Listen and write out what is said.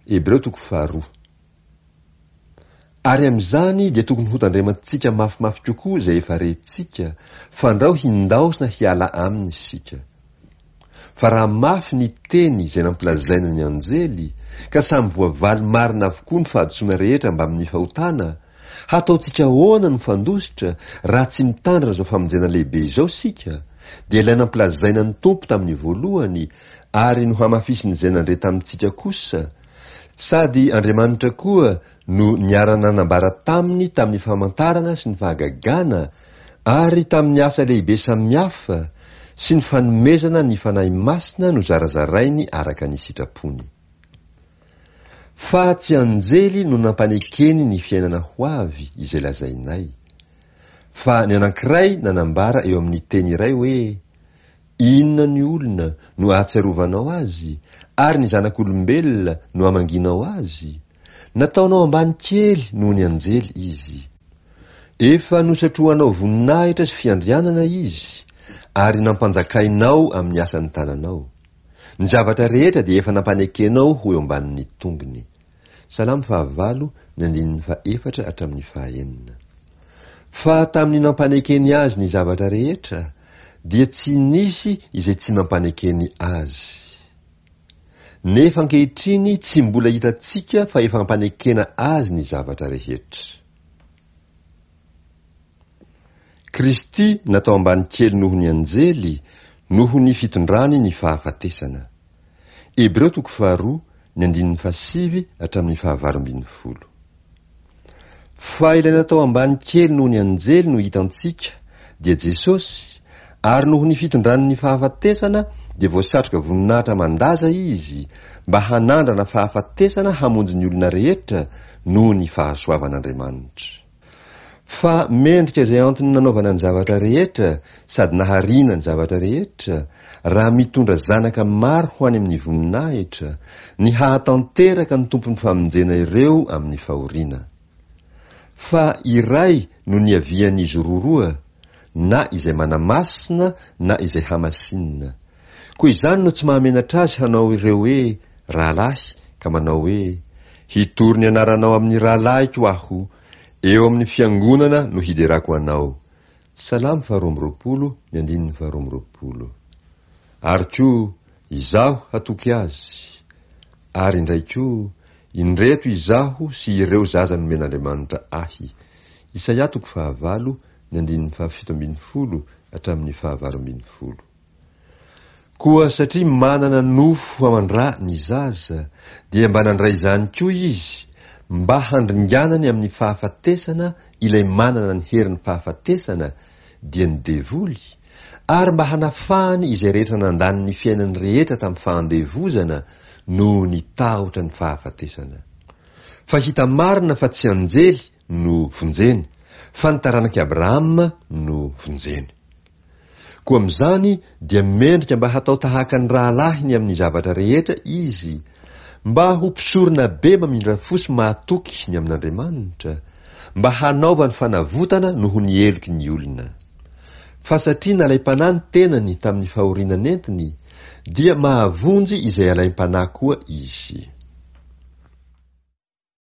Hebreo toko faharoa. Ary amin'izany dia tokony hotandremantsika mafimafy kokoa izay efa rentsika, fandrao hindaosina hiala aminy isika. Fa raha mafy ny teny izay nampilazaina ny anjely, ka samy voavaly marina avokoa ny fahadisoana rehetra mbamin'ny fahotana, hataontsika ahoana no fandositra raha tsy mitandrina izao famonjena lehibe izao isika? Dia ilay nampilazaina ny Tompo tamin'ny voalohany ary nohamafisin'izay nandre tamintsika kosa, sady Andriamanitra koa no niara-nanambara taminy tamin'ny famantarana sy ny fahagagana ary tamin'ny asa lehibe samihafa sy ny fanomezana ny Fanahy Masina nozarazarainy araka ny sitrapony. Fa tsy anjely no nampanekeny ny fiainana ho avy izay lazainay. Fa ny anankiray nanambara eo amin'ny teny iray hoe, Inona ny olona no ahatsiarovanao azy, ary ny zanak'olombelona no amangianao azy? Nataonao ambany kely noho ny anjely izy. Efa nosatrohanao voninahitra sy fiandrianana izy, ary nampanjakainao amin'ny asan'ny tananao. Ny zavatra rehetra dia efa nampanekenao ho eo ambanin'ny tongony. Salamo fahavalo, ny andininy fahefatra hatramin'ny fahaenina. Fa tamin'ny nampanekeny azy ny zavatra rehetra, dia tsy nisy izay tsy nampanekeny azy. Nefa ankehitriny tsy mbola hitantsika fa efa ampanekena azy ny zavatra rehetra. Kristy natao ambany kely noho ny anjely noho ny fitondrany ny fahafatesana. Hebreo toko faharoa ny andininy fahasivy hatramin'ny fahavalo ambin'ny folo. Fa ilay natao ambany kely noho ny anjely no hitantsika, dia Jesosy, ary noho ny fitondrany ny fahafatesana dia voasatroka voninahitra aman-daza Izy, mba hanandrana fahafatesana hamonjy ny olona rehetra noho ny fahasoavan'Andriamanitra. Fa mendrika izay antony nanaovana ny zavatra rehetra sady nahariana ny zavatra rehetra, raha mitondra zanaka maro ho any amin'ny voninahitra, ny hahatanteraka ny Tompon'ny famonjena ireo amin'ny fahoriana. Fa iray no niavian'izy roroa, na izay manamasina na izay hamasinina. Koa izany no tsy mahamenatra azy hanao ireo hoe rahalahy ka manao hoe, Hitory ny anaranao amin'ny rahalahiko aho, eo amin'ny fiangonana no hiderako anao. Salamo faharoa amby roapolo, ny andininy faharoa amby roapolo. Ary koa, Izaho hatoky azy. Ary indray koa, Indreto izaho sy ireo zaza nomen'Andriamanitra ahy. Isaia toko fahavalo, ny andininy fahafito ambin'ny folo hatramin'ny fahavalo ambin'ny folo. Koa satria manana nofo aman-dra ny zaza, dia mba nandray izany koa izy, mba handringanany amin'ny fahafatesana ilay manana ny herin'ny fahafatesana, dia ny devoly, ary mba hanafahany izay rehetra nandany ny fiainany rehetra tamin'ny fahandevozana noho ny tahotra ny fahafatesana. Fa hita marina fa tsy anjely no vonjeny, fa ny taranak'i Abrahama no vonjeny. Koa amin'izany dia mendrika mba hatao tahaka ny rahalahiny amin'ny zavatra rehetra izy, mba ho mpisorona be mamindra fo sy mahatoky ny amin'Andriamanitra, mba hanaovany fanavotana noho ny heloky ny olona. Fa satria nalaim-panahy ny tenany tamin'ny fahoriana nentiny, dia mahavonjy izay alaim-panahy koa izy.